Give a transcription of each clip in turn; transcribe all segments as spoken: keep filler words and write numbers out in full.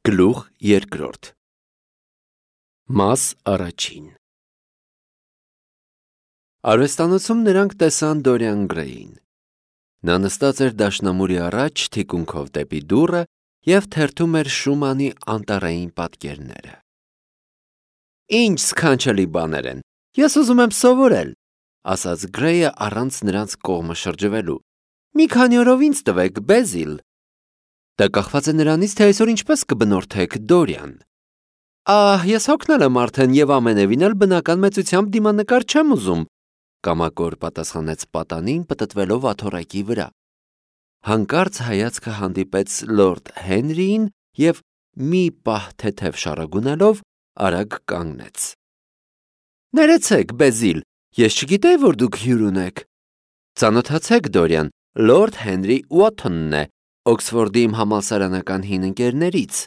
Գլուխ երկրորդ Մաս առաջին Արվեստանոցում նրանք տեսան Դորիան Գրեյին։ Նա նստած էր դաշնամուրի առաջ թիկունքով դեպի դուռը և թերթում էր Շումանի անտառային պատկերները։ Ինչ սքանչելի բաներ են, ես ուզում եմ սովորել, ասաց Գրեյը առանց նրանց կողմը շրջվելու։ Մի քանի օրով ինձ տվեք, Բեզիլ։ Դա կախված է նրանից, թե այսօր ինչպես կբնորդեք Դորիան։ Ահ, ես հոգնել եմ արդեն և ամենևին էլ բնական մեծությամբ դիմանկար չեմ ուզում, կամակոր պատասխանեց պատանին, պտտվելով աթոռակի վրա։ Հանկարծ հայացքը հանդիպեց լորդ Հենրիին և մի պահ թեթև շարագունելով արագ կանգնեց։ Ներեցեք, Բեզիլ, ես չգիտեի, որ դուք հյուր ունեք։ Ծանոթացեք, Դորիան, լորդ Հենրի Ուոթոնն է, Օքսֆորդի իմ համալսարանական հին ընկերներից։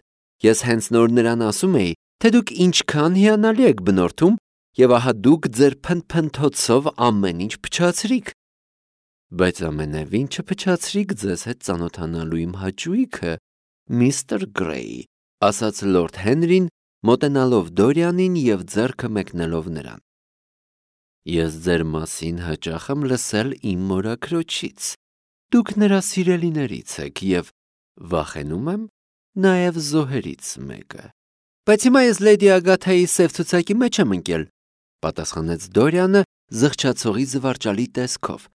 Ես հենց նոր նրան ասում էի, թե դուք ինչքան հիանալի եք բնորդում, և ահա դուք ձեր փնփնթոցով ամեն ինչ փչացրիք։ Բայց ամենևին չփչացրիք ձեզ հետ ծանոթանալու իմ հաճույքը, միստր Գրեյ, ասաց լորդ Հենրին, մոտենալով Դորիանին և ձեռքը մեկնելով նրան։ Ես ձեր մասին հաճախ եմ լսել իմ մորաքրոջից։ Դուք նրա սիրելիներից եք և վախենում եմ նաև զոհերից մեկը։ Բայց հիմա ես լեդի Ագաթայի սև ցուցակի մեջ եմ ընկել, պատասխանեց Դորիանը զղջացողի զվարճալի տեսքով։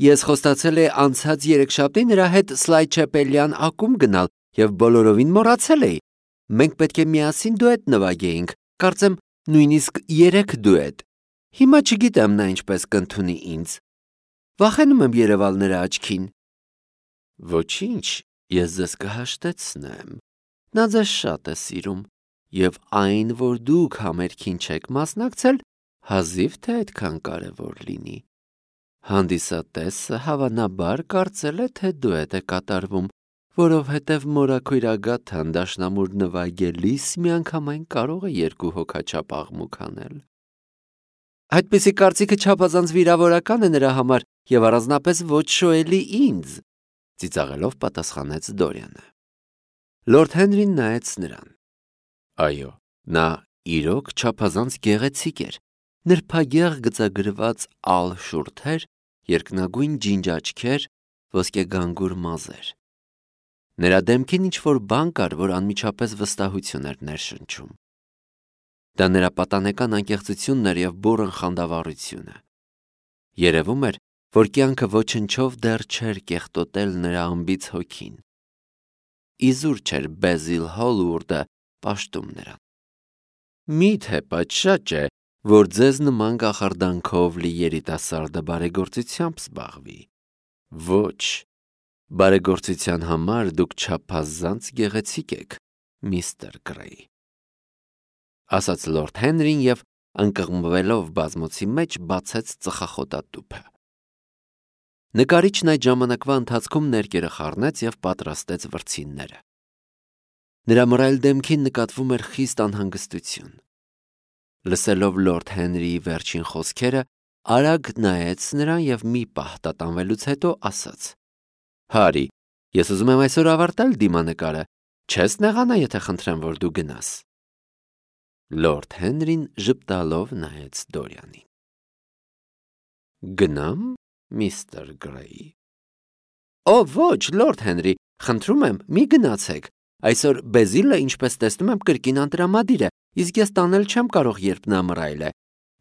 Ես խոստացել էի անցած երեքշաբթի նրա հետ Սլայչեպելյան ակումբ գնալ և բոլորովին մոռացել էի։ Մենք պետք է միասին դուետ նվագեինք, կարծեմ նույնիսկ երեք դուետ։ Հիմա չգիտեմ նա ինչպես կընդունի ինձ։ Վախենում եմ երևալ նրա աչքին։ Ոչինչ, ես ձեզ կհաշտեցնեմ։ Նա ձեզ շատ է սիրում, և այն, որ դուք համերգին չեք մասնակցել, հազիվ թե այդքան կարևոր լինի։ Հանդիսատեսը հավանաբար կարծել է, թե դուետ է կատարվում, որովհետև մորաքույր Ագաթան դաշնամուր նվագելիս միանգամայն կարող է երկու հոգաչափ աղմուկ անել։ Այդպիսի կարծիքը չափազանց վիրավորական է նրա համար և առանձնապես ոչ շոյելի ինձ, ծիծաղելով պատասխանեց Դորիանը։ Լորդ Հենրին նայեց նրան։ Այո, նա իրոք չափազանց գեղեցիկ էր, նրբագեղ գծագրված ալ շուրթեր, երկնագույն ջինջ աչքեր, ոսկեգանգուր մազեր։ Նրա դեմքին ինչ-որ բան կար, որ անմիջապես վստահություն էր ներշնչում։ Դա նրա պատանեկան անկեղծությունն էր և բուռն խանդավառությունը։ Երևում էր, որ կյանքը ոչնչով դեռ չէր կեղտոտել նրա անբիծ հոգին։ Իզուր չէր Բեզիլ Հոլվուրդը պաշտում նրան։ Մի՞թե պատշաճ է, որ ձեզ նման կախարդանքով լի երիտասարդը բարեգործությամբ զբաղվի։ Ոչ, բարեգործության համար դուք չափազանց գեղեցիկ եք, միստր Գրեյ, ասաց լորդ Հենրին և ընկղմվելով բազմոցի մեջ բացեց ծխախոտատուփը։ Նկարիչն այդ ժամանակվա ընթացքում ներկերը խառնեց և պատրաստեց վրձինները։ Նրա մռայլ դեմքին նկատվում էր խիստ անհանգստություն։ Լսելով լորդ Հենրիի վերջին խոսքերը, արագ նայեց նրան և մի պահ տատանվելուց հետո ասաց. Հարի, ես ուզում եմ այսօր ավարտել դիմանկարը, չես նեղանա, եթե խնդրեմ, որ դու գնաս։ Լորդ Հենրին ժպտալով նայեց Դորիանին։ Գնամ, միստր Գրեյ։ Օ, ոչ, լորդ Հենրի, խնդրում եմ, մի գնացեք։ Այսօր Բեզիլը, ինչպես տեսնում եմ, կրկին անտրամադիր է, իսկ ես տանել չեմ կարող, երբ նա մռայլ է։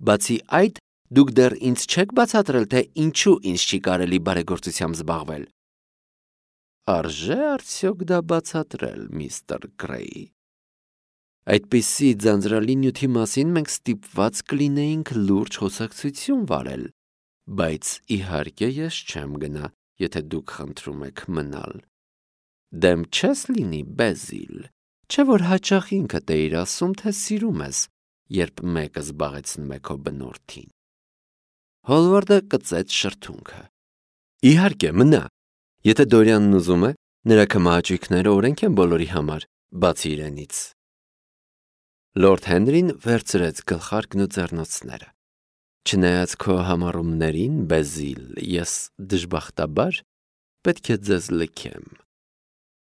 Բացի այդ, դուք դեռ ինձ չեք բացատրել, թե ինչու ինձ չի կարելի բարեգործությամբ զբաղվել։ Արժե՞ արդյոք դա բացատրել, միստր Գրեյ։ Այդպիսի ձանձրալի նյութի մասին մենք ստիպված կլինեինք լուրջ խոսակցություն վարել, բայց իհարկե ես չեմ գնա, եթե դուք խնդրում եք մնալ։ Դեմ չես լինի, Բեզիլ, չէ՞ որ հաճախ ինքդ էիր ասում, թե սիրում ես, երբ մեկը զբաղեցնում է քո բնորդին։ Հոլվարդը կծեց շրթունքը։ Իհարկե, մնա։ Եթե Դորիանն ուզում է, նրա քմահաճույքները օրենք են բոլորի համար, բացի իրենից։ Լորդ Հենրին վերցրեց գլխարկն ու ձեռնոցները։ Չնայած քո համառումներին, Բեզիլ, ես դժբախտաբար պետք է ձեզ լքեմ։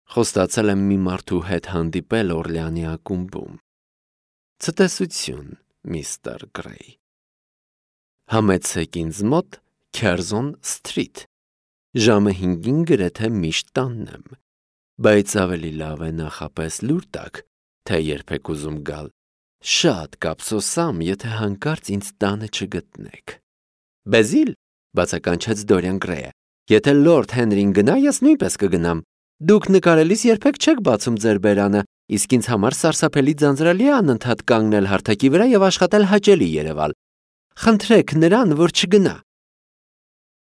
Խոստացել եմ մի մարդու հետ հանդիպել Օրլեանի ակումբում։ Ցտեսություն, միստր Գրեյ։ Համեցեք ինձ մոտ Քերզոն Սթրիթ։ Ժամը հինգին գրեթե միշտ տանն եմ, բայց ավելի լավ է նախապես լուր տաք, թե երբեք ուզում գալ։ Շատ կափսոսամ, եթե հանկարծ ինձ տանը չգտնեք։ Բեզիլ, բացականչեց Դորիան Գրեյը, եթե Լորդ Հենրին գնա, ես նույնպես կգնամ։ Դուք նկարելիս երբեք չեք բացում ձեր բերանը, իսկ ինձ համար սարսափելի ձանձրալի է անընդհատ կանգնել հարթակի վրա եւ աշխատել հաճելի երևալ։ Խնդրեք նրան, որ չգնա։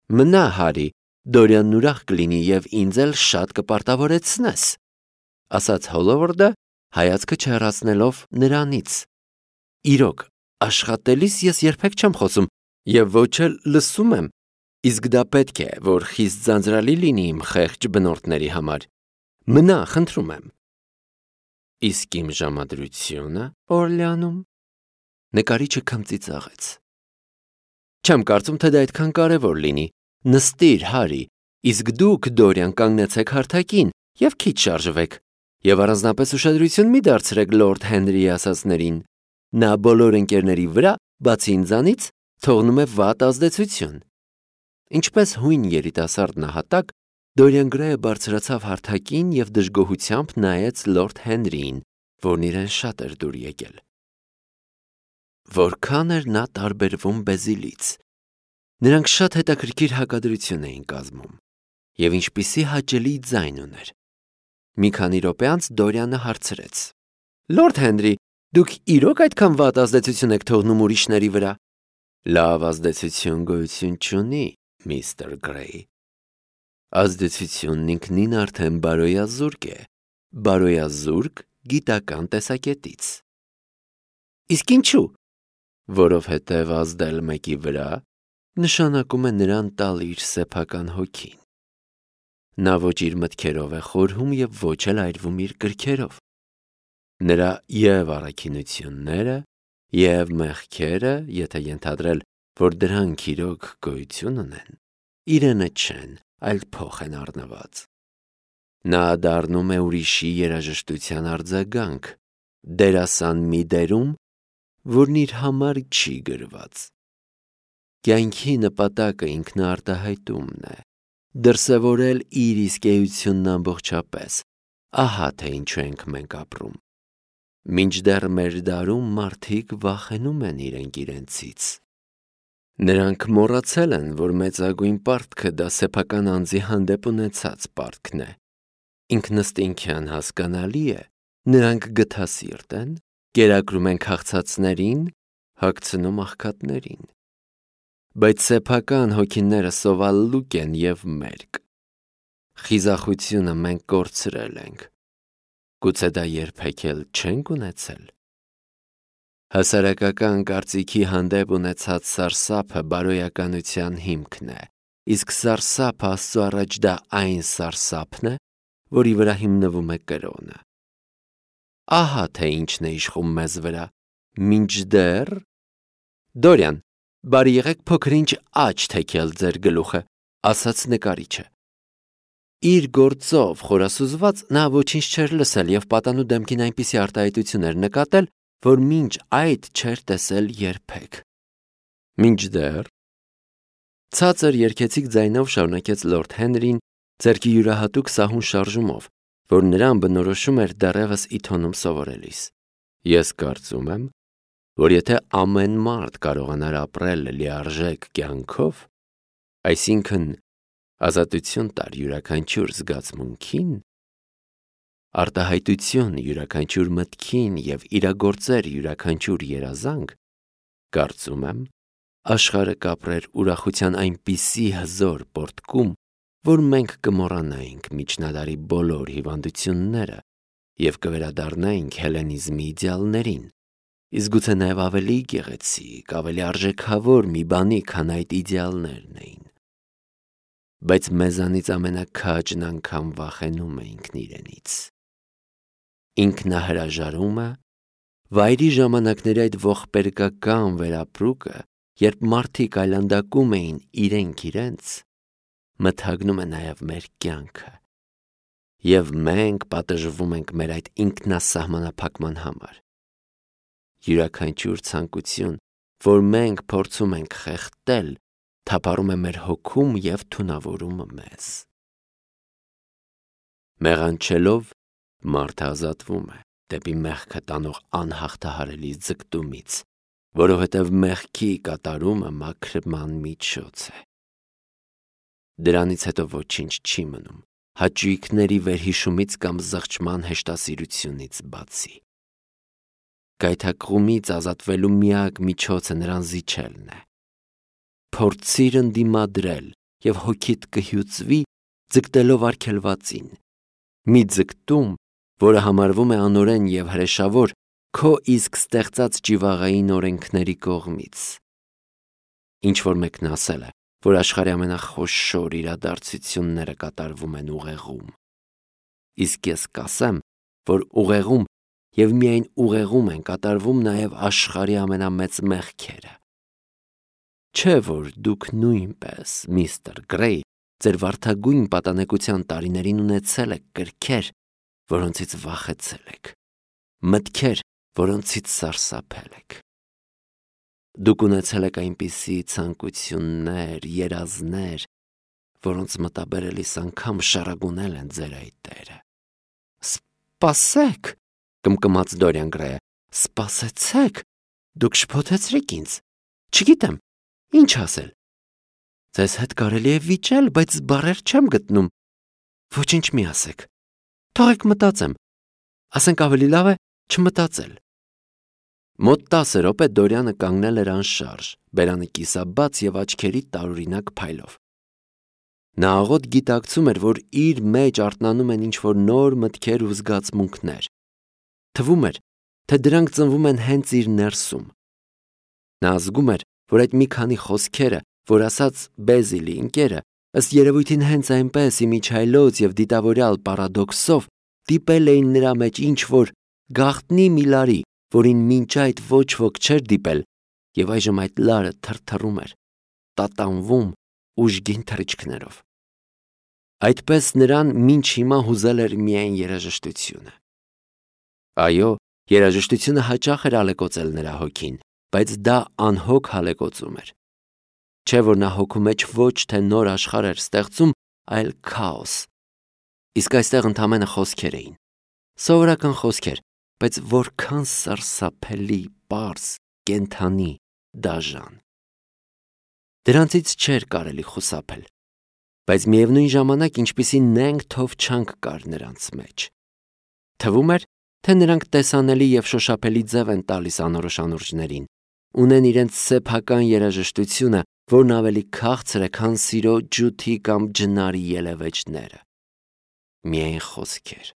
Մնա, Հարի, Դորիանն ուրախ կլինի եւ ինձ էլ շատ կպարտավորեցնես, ասաց Հոլովորդը, հայացքը չհեռացնելով նրանից։ Իրոք, աշխատելիս ես երբեք չեմ խոսում եւ ոչ էլ լսում եմ, իսկ դա պետք է, որ խիստ ձանձրալի լինի իմ խեղճ բնորդների համար։ Մնա, խնդրում եմ։ Իսկ իմ ժամադրությունը Օրլեանում, նկարիչը քմծիծաղեց։ Չեմ կարծում, թե դա այդքան կարևոր լինի։ Նստիր, Հարի, իսկ դուք, Դորիան, կանգնեցեք հարթակին եւ քիչ շարժվեք, եւ առանձնապես ուշադրություն մի դարձրեք Լորդ Հենրիի ասածներին։ Նա բոլոր ընկերների վրա, բացի ինձանից, թողնում է վատ ազդեցություն։ Ինչպես հույն երիտասարդ նահատակ, Դորիան Գրեյը բարձրացավ հարթակին եւ դժգոհությամբ նայեց Լորդ Հենրիին, որն իրեն շատ էր դուր եկել։ Որքան էր նա տարբերվում Բեզիլից։ Նրանք շատ հետաքրքիր հակադրություն էին կազմում, եւ ինչպիսի հաճելի ձայն ուներ։ Մի քանի րոպե անց Դորիանը հարցրեց. Լորդ Հենրի, դուք իրոք այդքան վատ ազդեցություն եք թողնում ուրիշների վրա։ Լավ ազդեցություն գոյություն չունի, միստր Գրեյ։ Ազդեցությունն ինքնին արդեն բարոյազուրկ է, բարոյազուրկ գիտական տեսակետից։ Իսկ ինչու։ Որովհետև ազդել մեկի վրա նշանակում է նրան տալ իր սեփական հոգին։ Նա ոչ իր մտքերով է խորհում եւ ոչ էլ այրվում իր կրքերով։ Նրա եւ առաքինությունները, եւ մեղքերը, եթե ենթադրել, որ դրանք իրոք գոյություն ունեն, իրենը չեն, այլ փոխ են առնված։ Նա դառնում է ուրիշի երաժշտության արձագանք, դերասան մի դերում, որն իր համար չի գրված։ Կյանքի նպատակը ինքնարտահայտումն է, դրսևորել իր իսկ էությունն ամբողջապես, ահա թե ինչու ենք մենք ապրում։ Մինչդեռ մեր դարում մարդիկ վախենում են իրենք իրենցից։ Նրանք մոռացել են, որ մեծագույն պարտքը դա սեփական անձի հանդեպ ունեցած պարտքն է։ Ինքնըստինքյան հասկանալի է, նրանք գթասիրտ են, կերակրում են քաղցածներին, հագցնում աղքատներին։ Բայց սեփական հոգիները սովալլուկ են եւ մերկ։ Խիզախությունը մենք կորցրել ենք։ Գուցե դա երբեք էլ չենք ունեցել։ Հասարակական կարծիքի հանդեպ ունեցած սարսափը բարոյականության հիմքն է, իսկ սարսափը Աստծո առաջ դա այն սարսափն է, որի վրա հիմնվում է կրոնը։ Ահա թե ինչն է իշխում մեզ վրա, մինչդեռ… Դորիան, բարի եղեք փոքր-ինչ աջ թեքել ձեր գլուխը, ասաց նկարիչը։ Իր գործով խորասուզված նա ոչինչ չէր լսել եւ պատանու դեմքին այնպիսի արտահայտություն էր նկատել, որ մինչ այդ չէր տեսել երբեք։ Մինչդեռ… Ցածր երգեցիկ ձայնով շարունակեց Լորդ Հենրին, ձեռքի յուրահատուկ սահուն շարժումով, որ նրան բնորոշում էր դեռևս իթոնում սովորելիս։ Ես կարծում եմ, որ եթե ամեն մարդ կարողանար ապրել լիարժեք կյանքով, այսինքն ազատություն տար յուրաքանչյուր զգացմունքին, արտահայտություն յուրաքանչյուր մտքին եւ իրագործեր յուրաքանչյուր երազանք, կարծում եմ, աշխարհը կապրեր ուրախության այնպիսի հզոր պորտկում, որ մենք կմոռանայինք միջնադարի բոլոր հիվանդությունները եւ կվերադառնայինք հելենիզմի իդեալներին, իսկ գուցե նաեւ ավելի գեղեցիկ, ավելի արժեքավոր մի բանի, քան այդ իդեալներն էին։ Բայց մեզանից ամենաքաջն անգամ վախենում է ինքն իրենից։ Ինքնահրաժարումը, վայրի ժամանակների այդ ողբերգական վերապրուկը, երբ մարդիկ այլանդակում էին իրենք իրենց, մթագնում է նաև մեր կյանքը և մենք պատժվում ենք մեր այդ ինքնասահմանափակման համար։ Յուրաքանչյուր ցանկություն, որ մենք փորձում ենք խեղդել, թափառում է մեր հոգում և թունավորում մեզ։ Մեղանչելով, մարդը ազատվում է դեպի մեղքը տանող անհաղթահարելի ձգտումից, որովհետև մեղքի կատարումը մաքրման միջոց է։ Դրանից հետո ոչինչ չի մնում, հաճույքների վերհիշումից կամ զղջման հեշտասիրությունից բացի։ Գայթակղումից ազատվելու միակ միջոցը նրան զիջելն է։ Փորձիր ընդդիմադրել, և հոգիդ կհյուծվի ձգտելով արգելվածին։ Մի ձգտում, որը համարվում է անօրեն և հրեշավոր քո իսկ ստեղծած ճիվաղային օրենքների կողմից։ Ինչ-որ մեկն ասել է, որ աշխարհի ամենախոշոր իրադարձությունները կատարվում են ուղեղում։ Իսկ ես կասեմ, որ ուղեղում և միայն ուղեղում են կատարվում նաև աշխարհի ամենամեծ մեղքերը։ Չէ՞ որ դուք նույնպես, միստր Գրեյ, ձեր վարդագույն պատանեկության տարիներին ունեցել եք կրքեր, որոնցից վախեցել եք, մտքեր, որոնցից սարսափել եք։ Դուք ունեցել եք այնպիսի ցանկություններ, երազներ, որոնց մտաբերելիս անգամ շառագունել են ձեր այտերը։ Սպասեք, կմկմաց Դորիան Գրեյը, սպասեցեք, դուք շփոթեցրիք ինձ, չգիտեմ, ինչ ասել։ Ձեզ հետ կարելի է վիճել, բայց բառեր չեմ գտնում։ Ոչինչ մի ասեք, թողեք մտածեմ, ասենք ավելի լավ է չմտածել։ Մոտ տասը րոպե Դորիանը կանգնել էր անշարժ, բերանը կիսաբաց և աչքերի տարօրինակ փայլով։ Նա աղոտ գիտակցում էր, որ իր մեջ արթնանում են ինչ-որ նոր մտքեր ու զգացմունքներ։ Թվում էր, թե դրանք ծնվում են հենց իր ներսում։ Նա զգում էր, որ այդ մի քանի խոսքերը, որ ասաց Բեզիլի ընկերը, ըստ երևույթին հենց այնպես իմիջիայլոց և դիտավորյալ պարադոքսով դիպել էին նրա մեջ ինչ-որ գաղտնի մի լարի, որին մինչ այդ ոչ ոք չէր դիպել, և այժմ այդ լարը թրթռում էր, տատանվում ուժգին թռիչքներով։ Այդպես նրան մինչ հիմա հուզել էր միայն երաժշտությունը։ Այո, երաժշտությունը հաճախ էր ալեկոծել նրա հոգին, բայց դա անհոգ հալեկոծում էր։ Չէ՞ որ նա հոգու մեջ ոչ թե նոր աշխարհ էր ստեղծում, այլ քաոս։ Իսկ այստեղ ընդամենը խոսքեր էին։ Սովորական խոսքեր, բայց որքան սարսափելի, պարզ, կենդանի, դաժան։ Դրանցից չէր կարելի խուսափել, բայց միևնույն ժամանակ ինչպիսի նենգ թովչանք կար նրանց մեջ։ Թվում էր, թե նրանք տեսանելի և շոշափելի ձև են տալիս անորոշ անուրջներին, ունեն իրենց սեփական երաժշտությունը, որն ավելի քաղցր է, քան սիրո ջութի կամ ջնարի ելևէջները։ Միայն խոսքեր։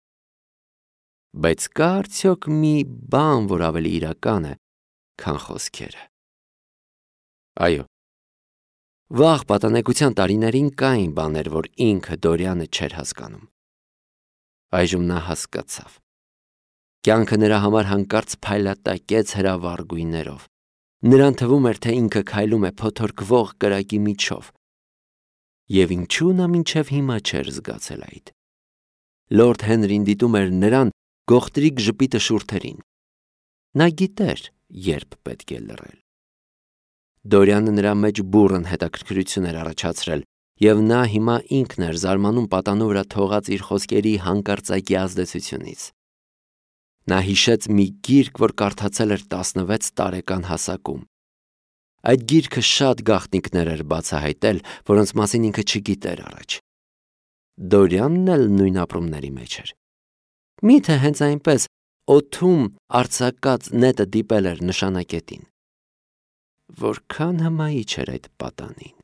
Բայց կա արդյոք մի բան, որ ավելի իրական է, քան խոսքերը։ Այո, վաղ պատանեկության տարիներին կային բաներ, որ ինքը Դորիանը չէր հասկանում։ Այժմ նա հասկացավ։ Կյանքը նրա համար հանկարծ փայլատակեց հրավառ գույներով։ Նրան թվում էր, թե ինքը քայլում է փոթորկվող կրակի միջով։ Եվ ինչու նա մինչև հիմա չէր զգացել այդ։ Լորդ Հենրին դիտում էր նրան գողտրիկ ժպիտը շուրթերին։ Նա գիտեր, երբ պետք է լռել։ Դորիանը նրա մեջ բուռն հետաքրքրություն էր առաջացրել, և նա հիմա ինքն էր զարմանում պատանու վրա թողած իր խոսքերի հանկարծակի ազդեցությունից։ Նա հիշեց մի գիրք, որ կարդացել էր տասնվեց տարեկան հասակում։ Այդ գիրքը շատ գաղտնիքներ էր բացահայտել, որոնց մասին ինքը չգիտեր առաջ։ Դորիանն էլ նույն ապրումների մեջ էր։ Միթե հենց այնպես օդում արձակած նետը դիպել էր նշանակետին։ Որքան հմայիչ էր այդ պատանին։